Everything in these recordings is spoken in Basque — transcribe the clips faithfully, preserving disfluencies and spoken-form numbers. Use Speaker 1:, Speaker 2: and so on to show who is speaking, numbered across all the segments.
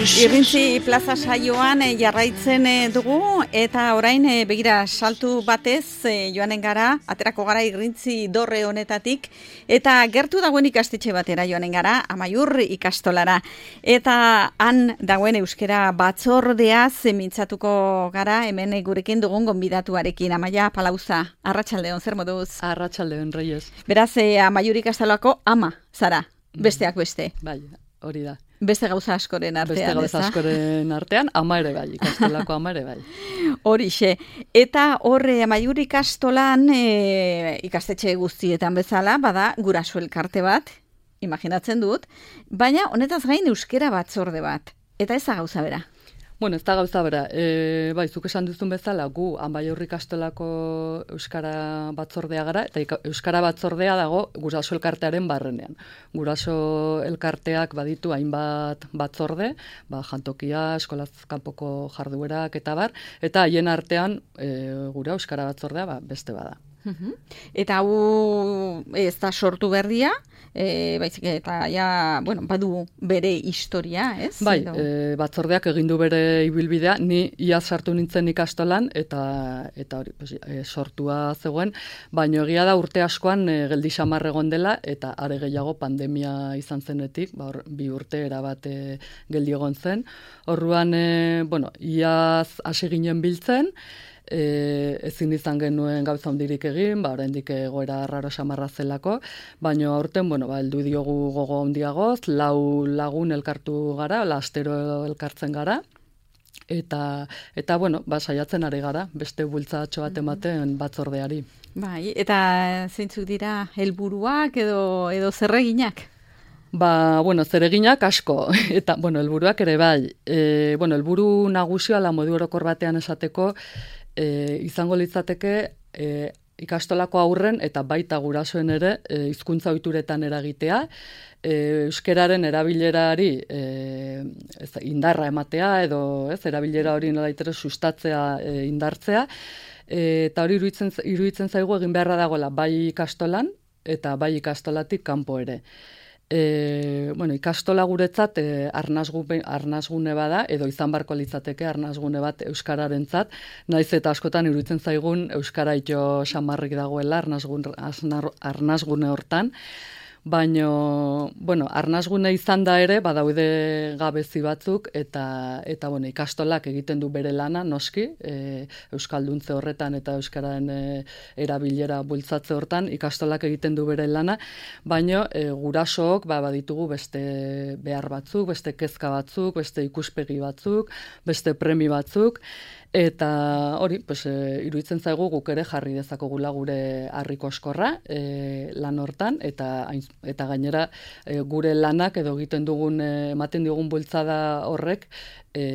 Speaker 1: Irrintzi plaza saioan e, jarraitzen e, dugu eta orain e, begira saltu batez e, joanen gara, aterako gara Irrintzi dorre honetatik eta gertu dagoen ikastetxe batera joanen gara, Amaiur ikastolara. Eta han dagoen euskera batzordeaz mintzatuko gara hemen gurekin dugun gonbidatuarekin. Amaia Palauza, arratsaldeon, zer moduz?
Speaker 2: Arratsaldeon, Reyes.
Speaker 1: Beraz, e, Amaiur ikastolako ama, zara, besteak beste.
Speaker 2: Bai, hori da.
Speaker 1: Beste gauza askoren artean,
Speaker 2: Beste gauza askoren artean, ama ere bai, ikastolako ama ere bai.
Speaker 1: Horixe. Eta horre Amaiur ikastolan e, ikastetxe guztietan bezala, bada guraso elkarte bat, imaginatzen dut, baina honetaz gain euskera batzorde bat. Eta ez da gauza bera.
Speaker 2: Bueno, ez da gauza bera. E, bai, zuk esan duzun bezala, gu Amaiur ikastolako euskara batzordea gara, eta ika, euskara batzordea dago guraso elkartearen barrenean. Guraso elkarteak baditu hainbat batzorde, ba, jantokia, eskolaz kanpoko jarduerak eta bar, eta haien artean e, gura euskara batzordea ba, beste bada.
Speaker 1: Uhum. Eta hau ez da sortu berria, e, baizik eta ja, bueno, badu bere historia, ez?
Speaker 2: Bai, e, batzordeak egin du bere ibilbidea, ni iaz sartu nintzen ikastolan eta eta hori pues, e, sortua zegoen, baina egia da urte askoan e, geldi xamar egon dela eta are gehiago pandemia izan zenetik, ba, or, bi urte erabat e, geldi egon zen. Orduan, e, bueno, iaz hasi ginen biltzen, E, ezin izan genuen gauza hondirik egin, ba, oraindik egoera raro xamarra zelako, baina aurten, bueno, ba, heldu diogu gogo handiagoz, lau lagun elkartu gara, astero elkartzen gara, eta, eta bueno, ba, saiatzen ari gara, beste bultzatxo bat ematen batzordeari.
Speaker 1: Bai, eta zeintzuk dira helburuak edo, edo zerreginak?
Speaker 2: Ba, bueno, zereginak asko, eta, bueno, helburuak ere bai. E, bueno, helburu nagusia la modu orokor batean esateko, e, izango litzateke e, ikastolako aurren eta baita gurasoen ere e, hizkuntza ohituretan eragitea, e, euskeraren erabilerari e, ez, indarra ematea edo ez erabilera hori nolaitere sustatzea, e, indartzea, e, eta hori iruditzen, iruditzen zaigu egin beharra dagoela bai ikastolan eta bai ikastolatik kanpo ere. E, bueno, ikastola guretzat e, arnasgune, arnasgune bada, edo izan barko litzateke arnasgune bat euskararentzat, naiz eta askotan iruditzen zaigun euskara ito xamarrik dagoela arnasgune, arnasgune hortan, baina, bueno, arnasgune izan da ere, badaude gabezi batzuk, eta, eta bueno, ikastolak egiten du bere lana, noski, e, euskalduntze horretan eta euskararen e, erabilera bultzatze hortan, ikastolak egiten du bere lana, baina e, gurasook ba, baditugu beste behar batzuk, beste kezka batzuk, beste ikuspegi batzuk, beste premi batzuk, eta hori, pues, e, iruditzen zaigu guk ere jarri dezakogula gure harriko eskorra e, lan hortan, eta, eta gainera e, gure lanak edo egiten dugun, e, ematen digun bultzada horrek, e,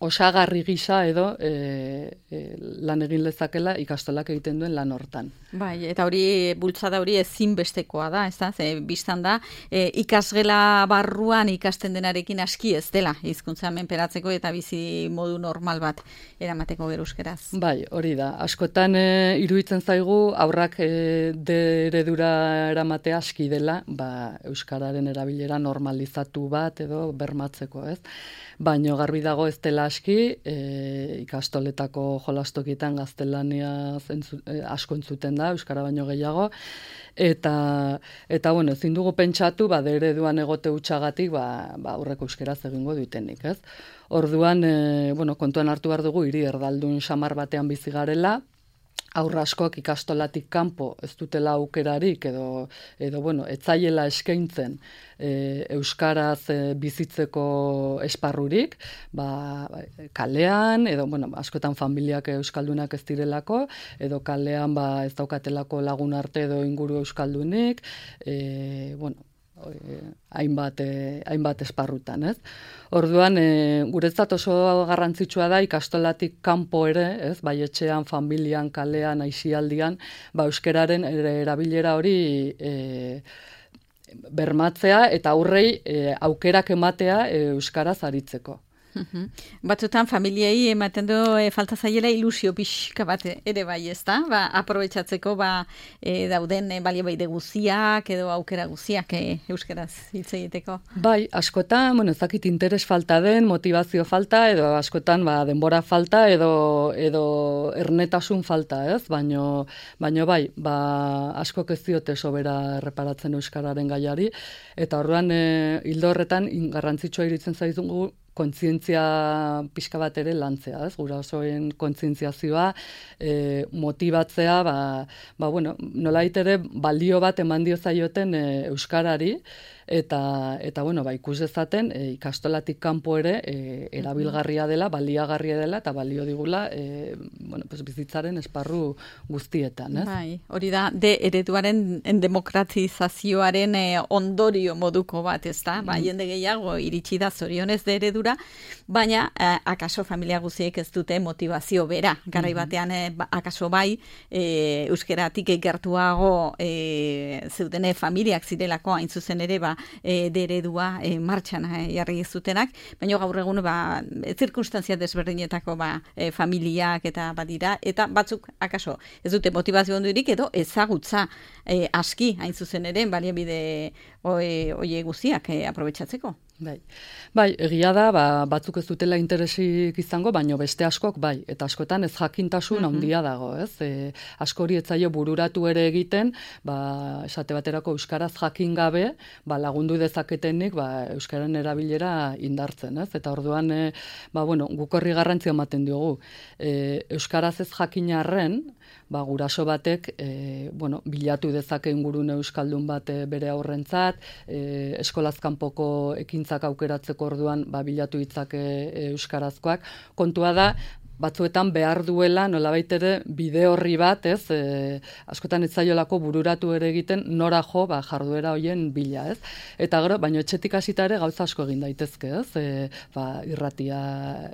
Speaker 2: osagarri gisa edo e, e, lan egin lezakela ikastolak egiten duen lan hortan.
Speaker 1: Bai, eta hori bultzada hori ezinbestekoa da, ez da? Ze biztan da, e, ikasgela barruan ikasten denarekin aski ez dela hizkuntza menperatzeko eta bizi modu normal bat eramateko euskeraz.
Speaker 2: Bai, hori da. Askotan e, iruditzen zaigu aurrak e, de eredura eramatea aski dela, ba, euskararen erabilera normalizatu bat edo bermatzeko, ez? Baina garbi dago ez dela aski, e, ikastoletako jolastokietan gaztelania zentzu, e, asko entzuten da, euskara baino gehiago, eta, eta bueno, ezin dugu pentsatu, ba, ereduan egote hutsagatik, ba, ba, aurreko euskeraz egingo dutenik, ez? Orduan, e, bueno, kontuan hartu behar dugu, hiri erdaldun xamar batean bizi garela, aurra askok ikastolatik kanpo ez dutela aukerarik edo, edo bueno, etzaiela eskaintzen e, euskaraz e, bizitzeko esparrurik, ba, kalean, edo bueno, askotan familiak euskaldunak ez direlako, edo kalean ba, ez daukatelako lagun arte edo inguru euskaldunik, e, bueno, hainbat, eh, hainbat esparrutan, ez? Orduan, eh, guretzat oso garrantzitsua da ikastolatik kanpo ere, ez? Bai etxean, familian, kalean, aisialdian, ba euskeraren erabilera hori eh, bermatzea eta aurrei eh, aukerak ematea eh, euskaraz aritzeko.
Speaker 1: Batzutan familiei ematen du e, falta zaiela ilusio pixka bat ere bai, ezta? Ba, aprobetxatzeko ba, e, dauden e, baliabide guziak edo aukera guziak e, euskaraz hitz egiteko.
Speaker 2: Bai, askotan, bueno, ez dakit interes falta den, motivazio falta edo askotan ba, denbora falta edo edo ernetasun falta, ez? Baino baino bai, ba askok ez diote sobera erreparatzen euskararen gaiari eta orduan e, hildo horretan garrantzitsua iruditzen zaizugu kontzientzia pixka bat ere lantzea, ez? Gurasoen kontzientziazioa, e, motibatzea, ba, ba bueno, nolait ere balio bat eman dio zaioten e, euskarari, eta eta bueno, ba ikus dezaten e, ikastolatik kanpo ere e, erabilgarria dela, baliagarria dela eta balio digula e, bueno, pues bizitzaren esparru guztietan, ez?
Speaker 1: Bai, hori da de ereduaren demokratizazioaren e, ondorio moduko bat, ezta? Ba, jende gehiago iritsi da zorionez de eredura, baina eh, akaso familia guziek ez dute motivazio bera. Garai batean eh, ba, akaso bai e, euskeratik gertuago e, zeudene familiak zirelako hain zuzen ere ba E, de eredua e, martxan e, jarri zutenak, baina gaur egun ba, zirkunstantzia desberdinetako ba, e, familiak eta badira, eta batzuk akaso ez dute motivazio ondurik edo ezagutza e, aski hain zuzen ere baliabide oie guziak e, aprobetxatzeko.
Speaker 2: Bai. Bai, egia da, ba, batzuk ez dutela interesik izango, baino beste askok bai, eta askotan ez jakintasun handia dago, ez? E, askori ez zaio bururatu ere egiten, ba, esate baterako euskaraz jakin gabe, ba, lagundu dezaketenik, ba, euskaren erabilera indartzen, ez? Eta orduan, e, ba, bueno, guk horri garrantzia ematen diogu. E, euskaraz ez jakinarren, ba, guraso batek, e, bueno, bilatu dezake ingurune euskaldun bat bere aurrentzat, e, eskolaz kanpoko ekin aukeratzeko orduan ba, bilatu ditzake euskarazkoak. Kontua da, batzuetan behar duela, nolabait ere, bide horri bat, ez, e, askotan ez zaiolako bururatu ere egiten, nora jo, ba, jarduera hoien bila, ez. Eta gero, baino etxetik hasita ere gauza asko egin daitezke, ez, e, ba, irratia,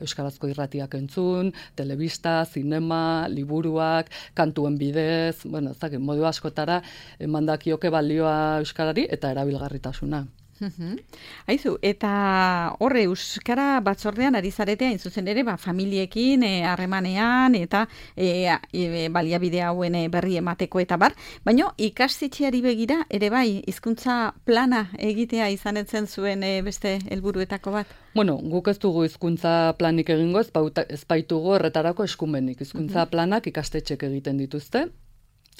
Speaker 2: euskarazko irratiak entzun, telebista, zinema, liburuak, kantuen bidez, bueno, ez dakit, modu askotara emandakioke balioa euskarari eta erabilgarritasuna.
Speaker 1: Aizu, eta horre euskara batzordean ari zaretea hain zuzen ere ba, familiekin harremanean eta e, e, baliabide hauen berri emateko eta bar, baina ikastetxeari begira ere bai hizkuntza plana egitea izanetzen zuen e, beste helburuetako bat?
Speaker 2: Bueno, guk ez dugu hizkuntza planik egingo, ez, bauta, ez baitugu horretarako eskumenik. Hizkuntza planak ikastetxek egiten dituzte.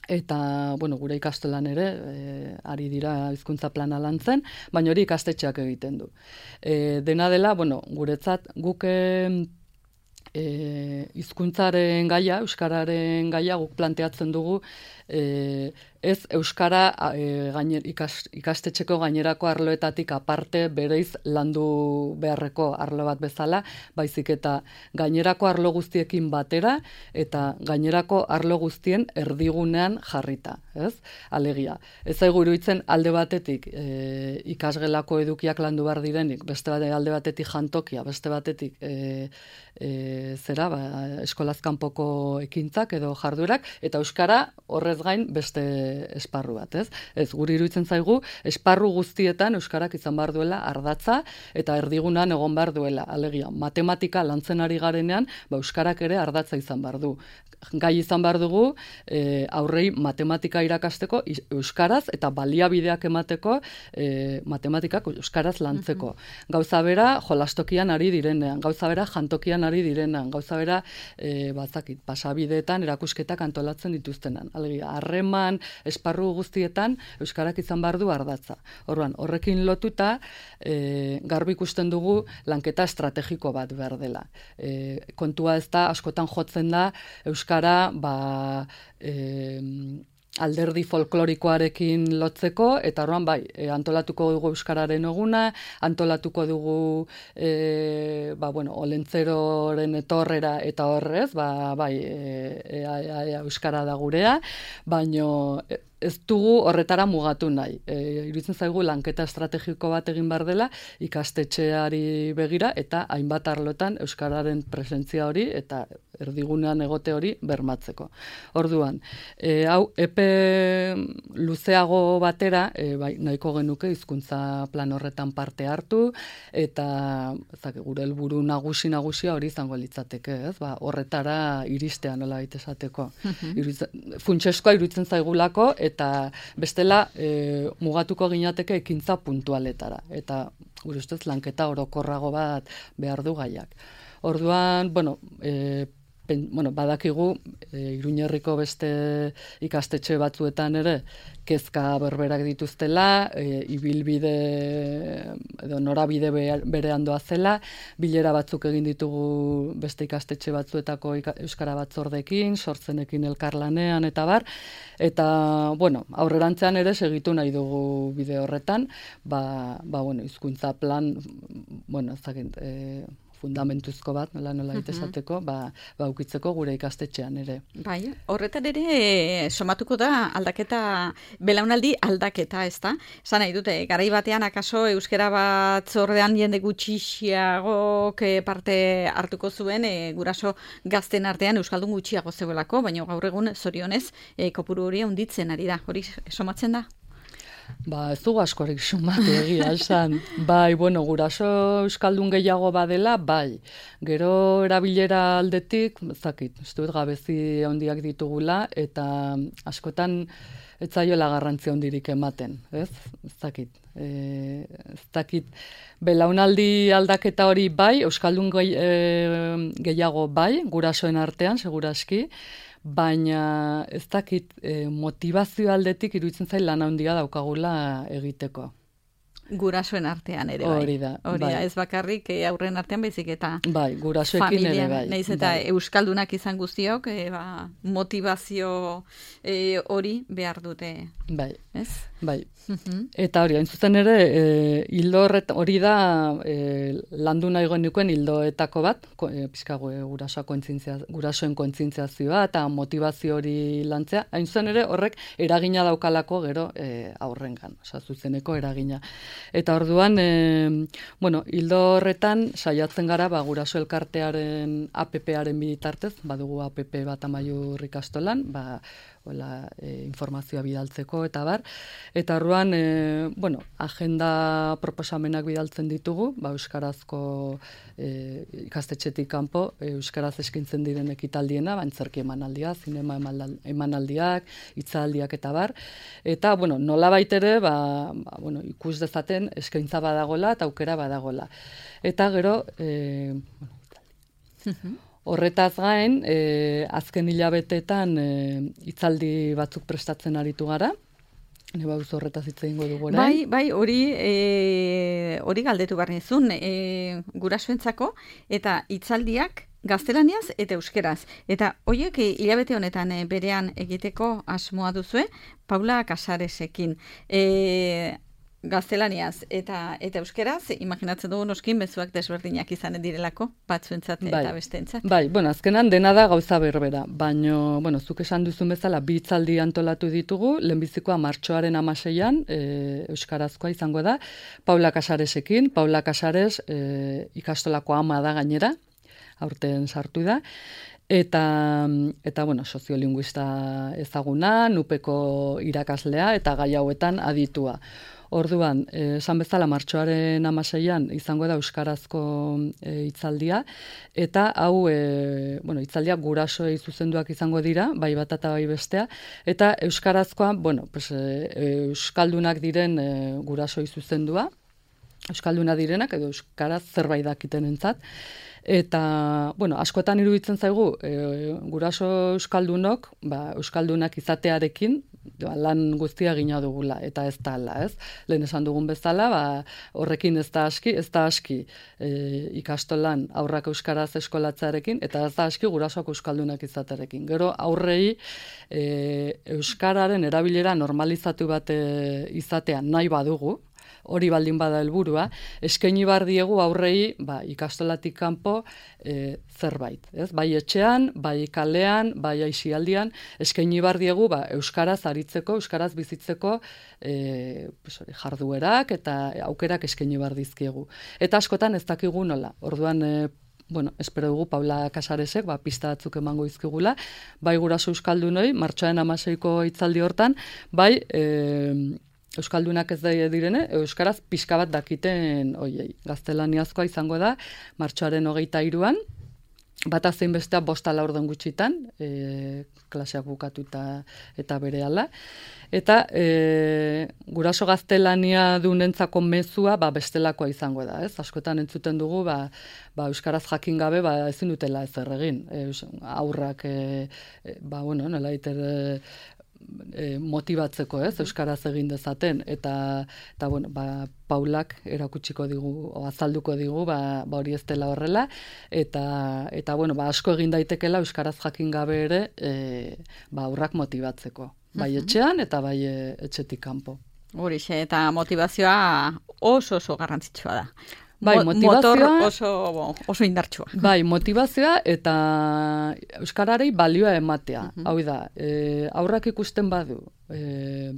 Speaker 2: Eta, bueno, gure ikastolan ere, e, ari dira hizkuntza plana lantzen, baina hori ikastetxeak egiten du. E, dena dela, bueno, guretzat, guk e, hizkuntzaren gaia, euskararen gaia, guk planteatzen dugu, e, ez euskara e, gainer, ikas, ikastetxeko gainerako arloetatik aparte bereiz landu beharreko arlo bat bezala, baizik eta gainerako arlo guztiekin batera eta gainerako arlo guztien erdigunean jarrita, ez? Alegia. Ez zaigu iruditzen alde batetik e, ikasgelako edukiak landu behar direnik, beste bate, alde batetik jantokia, beste batetik e, e, zera, ba, eskolaz kanpoko ekintzak edo jarduerak, eta euskara horrez gain beste esparru bat, ez? Ez, guri iruditzen zaigu, esparru guztietan euskarak izan behar duela ardatza eta erdigunan egon behar duela. Alegia, matematika lantzen ari garenean, ba, euskarak ere ardatza izan behar du. Gai izan behar dugu, e, aurrei matematika irakasteko euskaraz eta baliabideak emateko e, matematikak euskaraz lantzeko. Gauza bera, jolastokian ari direnean, gauza bera, jantokian ari direnean, gauza bera, e, bazakit, pasabideetan erakusketak antolatzen dituztenan. Alegia, harreman, esparru guztietan euskarak izan behar du ardatza. Orduan, horrekin lotuta e, garbi ikusten dugu lanketa estrategiko bat behar dela. E, kontua ez da, askotan jotzen da euskara ba, e, alderdi folklorikoarekin lotzeko, eta orduan bai, e, antolatuko dugu euskararen eguna, antolatuko dugu e, ba, bueno, olentzeroren etorrera eta horrez, ba, bai, e, e, e, e, euskara da gurea, baino ez dugu horretara mugatu nahi. E, iruditzen zaigu lanketa estrategiko bat egin behar dela ikastetxeari begira eta hainbat arlotan euskararen presentzia hori eta erdigunean egote hori bermatzeko. Orduan, e, hau epe luzeago batera, e, bai, nahiko genuke hizkuntza plan horretan parte hartu, eta ezak, gure helburu nagusi nagusia hori izango litzateke, ez? Ba, horretara iristea nola baita esateko. Mm-hmm. Funtseskoa iruditzen zaigulako, eta bestela e, mugatuko ginateke ekintza puntualetara. Eta gure ustez lanketa orokorrago bat behar du gaiak. Orduan, bueno, e, pen, bueno badakigu e, Iruñerriko beste ikastetxe batzuetan ere kezka berberak dituztela, e, ibilbide edo norabide berean doazela, bilera batzuk egin ditugu beste ikastetxe batzuetako euskara batzordekin, sortzenekin elkarlanean eta bar, eta bueno, aurrerantzean ere segitu nahi dugu bide horretan, ba, ba bueno, hizkuntza plan, bueno, ezagik, e, fundamentuzko bat, nola nola itesateko, ba, ba ukitzeko gure ikastetxean ere.
Speaker 1: Bai, horretan ere somatuko da aldaketa, belaunaldi aldaketa, ezta? Esan nahi dute, garai batean akaso euskara batzordean jende gutxiago parte hartuko zuen, e, guraso gazten artean euskaldun gutxiago zegoelako, baina gaur egun zorionez e, kopuru hori handitzen ari da. Hori somatzen da?
Speaker 2: Ba, ez dugu askorik sumatu egia esan. Bai, bueno, guraso euskaldun gehiago badela, bai. Gero erabilera aldetik, zakit, ez dut gabezi handiak ditugula, eta askotan ez zaiola garrantzia handirik ematen, ez? Ez dakit. E, ez dakit. Belaunaldi aldaketa hori bai, euskaldun gehi, e, gehiago bai, gurasoen artean, seguraski, baina ez dakit e, motivazio aldetik iruditzen zail lan handia daukagula egiteko.
Speaker 1: Gurasoen artean ere bai.
Speaker 2: Hori da.
Speaker 1: Hori da,
Speaker 2: bai.
Speaker 1: Ez bakarrik e, aurren artean baizik eta
Speaker 2: bai, gurasoekin ere bai.
Speaker 1: Naiz eta
Speaker 2: bai.
Speaker 1: Euskaldunak izan guztiok, e, ba, motivazio e, hori behar dute.
Speaker 2: Bai.
Speaker 1: Ez?
Speaker 2: Bai. Eta hori, hain zuzen ere, e, hildo hori da e, landu nahi genukeen hildoetako bat, ko, e, pizkago e, gurasoen kontzientziazioa eta motivazio hori lantzea, hain zuzen ere horrek eragina daukalako gero e, aurrengan, oza, zuzeneko eragina. Eta orduan, e, bueno, hildo horretan saiatzen gara ba, guraso elkartearen A P P-aren bitartez, badugu A P P bat Amaiur ikastolan, ba, Ola, e, informazioa bidaltzeko eta bar. Eta orduan, e, bueno, agenda proposamenak bidaltzen ditugu, ba, euskarazko e, ikastetxetik kanpo, e, euskaraz eskintzen diren ekitaldiena, bantzerki emanaldia, zinema emanaldiak, hitzaldiak eta bar. Eta, bueno, nola baitere, ba, ba, bueno, ikus dezaten eskaintza badagola eta aukera badagola. Eta gero, e, bueno, horretaz gain, e, azken hilabetetan e, hitzaldi batzuk prestatzen aritu gara. Ne bauz horretaz hitz egingo dugu orain.
Speaker 1: Bai, bai, hori e, hori galdetu behar nizun, e, gurasoentzako eta hitzaldiak gaztelaniaz eta euskeraz. Eta horiek hilabete honetan e, berean egiteko asmoa duzue, Paula Casaresekin. E, gaztelaniaz eta eta euskeraz, imaginatzen dugu noskin mezuak desberdinak izanen direlako, batzuentzat eta
Speaker 2: bai,
Speaker 1: besteentzat.
Speaker 2: Bai, bueno, azkenan dena da gauza berbera, baino, bueno, zuk esan duzun bezala bi hitzaldi antolatu ditugu, lehenbizikoa martxoaren hamaseian, e, euskarazkoa izango da, Paula Casaresekin, Paula Casares e, ikastolako ama da gainera, aurten sartu da, Eta, eta bueno, soziolinguista ezaguna, nupeko irakaslea eta gai hauetan aditua. Orduan, esan bezala martxoaren hamaseian izango da euskarazko e, hitzaldia, eta hau e, bueno, hitzaldiak gurasoei zuzenduak izango dira, bai bat eta bai bestea, eta euskarazkoa, bueno, pues, e, euskaldunak diren e, gurasoi zuzendua, euskalduna direnak edo euskaraz zerbait dakitenentzat. Eta, bueno, askotan iruditzen zaigu, e, guraso euskaldunok, ba, euskaldunak izatearekin, ba, lan guztia gina dugula, eta ez da ala, ez? Lehen esan dugun bezala, ba, horrekin ez da aski, ez da aski e, ikastolan aurrak euskaraz eskolatzearekin, eta ez da aski gurasoak euskaldunak izatearekin. Gero aurrei e, euskararen erabilera normalizatu bat e, izatea nahi badugu, hori baldin bada helburua, eskaini bar diegu aurrei, ba, ikastolatik kanpo e, zerbait, ez? Bai etxean, bai kalean, bai aisialdian, eskaini bar diegu, ba, euskaraz aritzeko, euskaraz bizitzeko e, pues, jarduerak eta aukerak eskaini bar dizkiegu. Eta askotan ez dakigu nola. Orduan, e, bueno, espero dugu Paula Casaresek, ba, pista batzuk emango izkigula, bai guraso euskaldunoi, martxoaren hamaseiko hitzaldi hortan, bai, e, euskaldunak ez da direne, euskaraz pixka bat dakiten, oiei, gaztelaniazkoa izango da, martxoaren hogeita hiruan, bata zein bestea bosta laurden gutxitan, e, klaseak bukatu eta, eta berehala. Eta e, guraso gaztelania dunentzako mezua ba, bestelakoa izango da. Ez? Askotan entzuten dugu, ba, ba, euskaraz jakin gabe ba, ezin dutela ezer egin. E, aurrak, e, e, ba, bueno, nola iter, e, e, motibatzeko, ez? Euskaraz egin dezaten. Eta, eta bueno, ba, Paulak erakutsiko digu, o azalduko digu, ba, ba hori ez dela horrela, eta, eta bueno, ba, asko egin daitekela euskaraz jakin gabe ere, e, ba, aurrak motibatzeko. Bai etxean eta bai etxetik kanpo.
Speaker 1: Horixe, eta motivazioa oso oso garrantzitsua da.
Speaker 2: Bai, motivazioa,
Speaker 1: motor oso, oso indartsua.
Speaker 2: Bai, motivazioa eta euskararei balioa ematea. Uh-huh. Hau da, e, aurrak ikusten badu, e,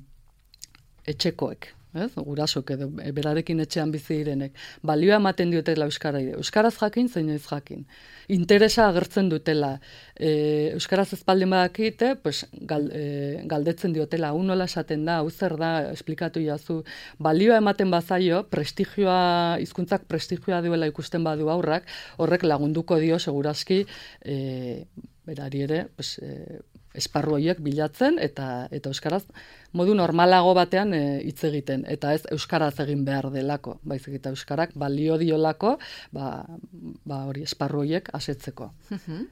Speaker 2: etxekoek, ez? Gurasok edo berarekin etxean bizi direnek, balioa ematen diotela euskarari. Euskaraz jakin, zein ez jakin. Interesa agertzen dutela. E, euskaraz ezpaldin badakite, pues, gal, e, galdetzen diotela, hau nola esaten da, hau zer da, esplikatu jazu. Balioa ematen bazaio, prestigioa, hizkuntzak prestigioa duela ikusten badu aurrak, horrek lagunduko dio segurazki, e, berari ere, pues, e, esparru horiek bilatzen eta eta euskaraz modu normalago batean hitz e, egiten eta ez euskaraz egin behar delako, baizik eta euskarak balio diolako, ba, ba hori esparru horiek asetzeko.
Speaker 1: Uh-huh.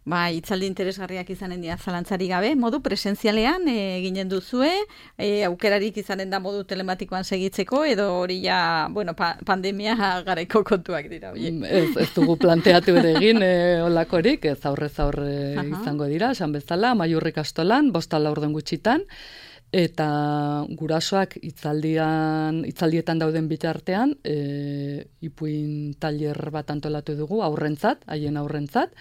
Speaker 1: Ba, hitzaldi interesgarriak izanen dira zalantzari gabe, modu presentzialean e, eginen duzue, e, aukerarik izanen da modu telematikoan segitzeko edo hori ja, bueno, pa, pandemia garaiko kontuak dira.
Speaker 2: Ez, ez dugu planteatu ere egin e, olakorik, ez aurrez aurre uh-huh. izango dira, esan bezala, Amaiurrik astolan, bosta laurden gutxitan, eta gurasoak hitzaldian hitzaldietan dauden bitartean e, ipuin tailer bat antolatu dugu aurrentzat, haien aurrentzat,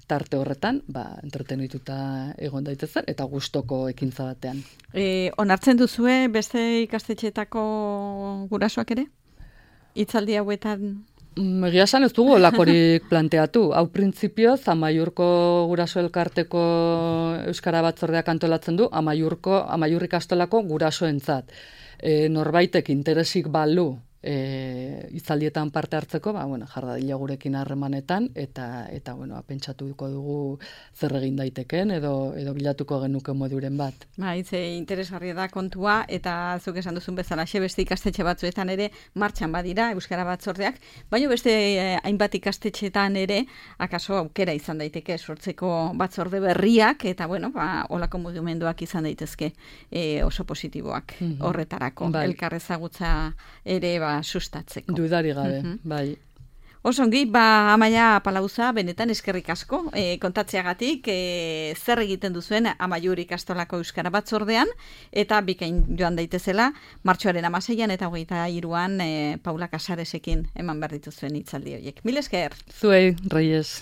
Speaker 2: tarte horretan, ba, entretenituta egon daitezen eta gustoko ekintza batean.
Speaker 1: E, onartzen duzue beste ikastetxeetako gurasoak ere? Hitzaldi hauetan?
Speaker 2: Egia esan ez dugu olakorik planteatu. Hau printzipioz, Amaiurko guraso elkarteko euskara batzordeak antolatzen du, Amaiurko, Amaiurrik astolako gurasoentzat. E, norbaitek interesik balu e, hitzaldietan parte hartzeko, ba, bueno, jardadila gurekin harremanetan, eta, eta bueno, pentsatuko dugu zer egin daiteken, edo, edo bilatuko genuke moduren bat.
Speaker 1: Ba, hitze interesgarria da kontua, eta zuk esan duzun bezala, beste ikastetxe batzuetan ere martxan badira, euskara batzordeak, baina beste eh, hainbat ikastetxetan ere, akaso aukera izan daiteke sortzeko batzorde berriak, eta bueno, ba, olako mugimenduak izan daitezke eh, oso positiboak mm-hmm. horretarako, bai. Elkarrezagutza ere ba, sustatzeko.
Speaker 2: Dudari gabe, mm-hmm. bai.
Speaker 1: Osongi, ba, Amaia Palauza, benetan eskerrik asko, e, kontatzeagatik, e, zer egiten duzuen Amaiur ikastolako euskara batzordean, eta bikain joan daitezela, martxoaren hamaseian eta hogeita hiruan e, Paula Casaresekin eman behar dituzuen hitzaldi horiek. Mil esker!
Speaker 2: Zuei, Reyes!